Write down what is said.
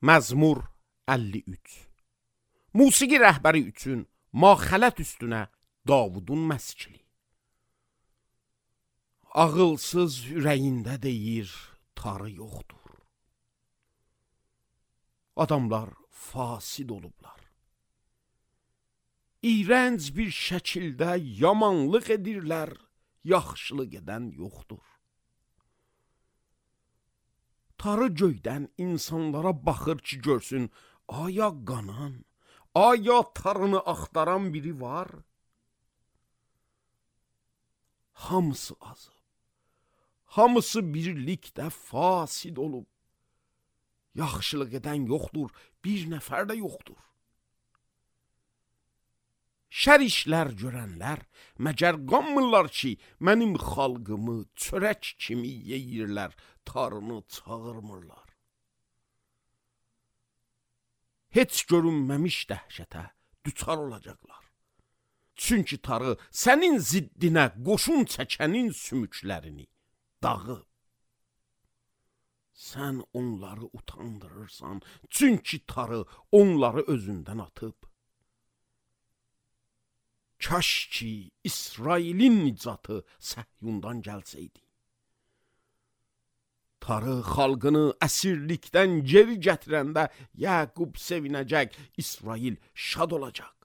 Məzmur 53. Musiqi rəhbəri üçün maxələt üstünə Davudun məskili. Ağılsız ürəyində deyir, tarı yoxdur. Adamlar fasid olublar. İğrənc bir şəkildə yamanlıq edirlər, yaxşılıq edən yoxdur. Tarı göydən insanlara baxır ki, görsün, aya qanan, aya tarını axtaran biri var? Hamısı azıb, hamısı birlikdə fasid olub. Yaxşılıq edən yoxdur, bir nəfər də yoxdur. Şər işlər görənlər məgər qanmırlar ki, mənim xalqımı çörək kimi yeyirlər, tarını çağırmırlar. Heç görünməmiş dəhşətə düçar olacaqlar. Çünki tarı sənin ziddinə qoşun çəkənin sümüklərini dağıb. Sən onları utandırırsan, çünki tarı onları özündən atıb. Kaş ki, İsrailin nicatı Səhyundan gəlsəydi. Tarı xalqını əsirlikdən geri gətirəndə Yaqub sevinəcək, İsrail şad olacaq.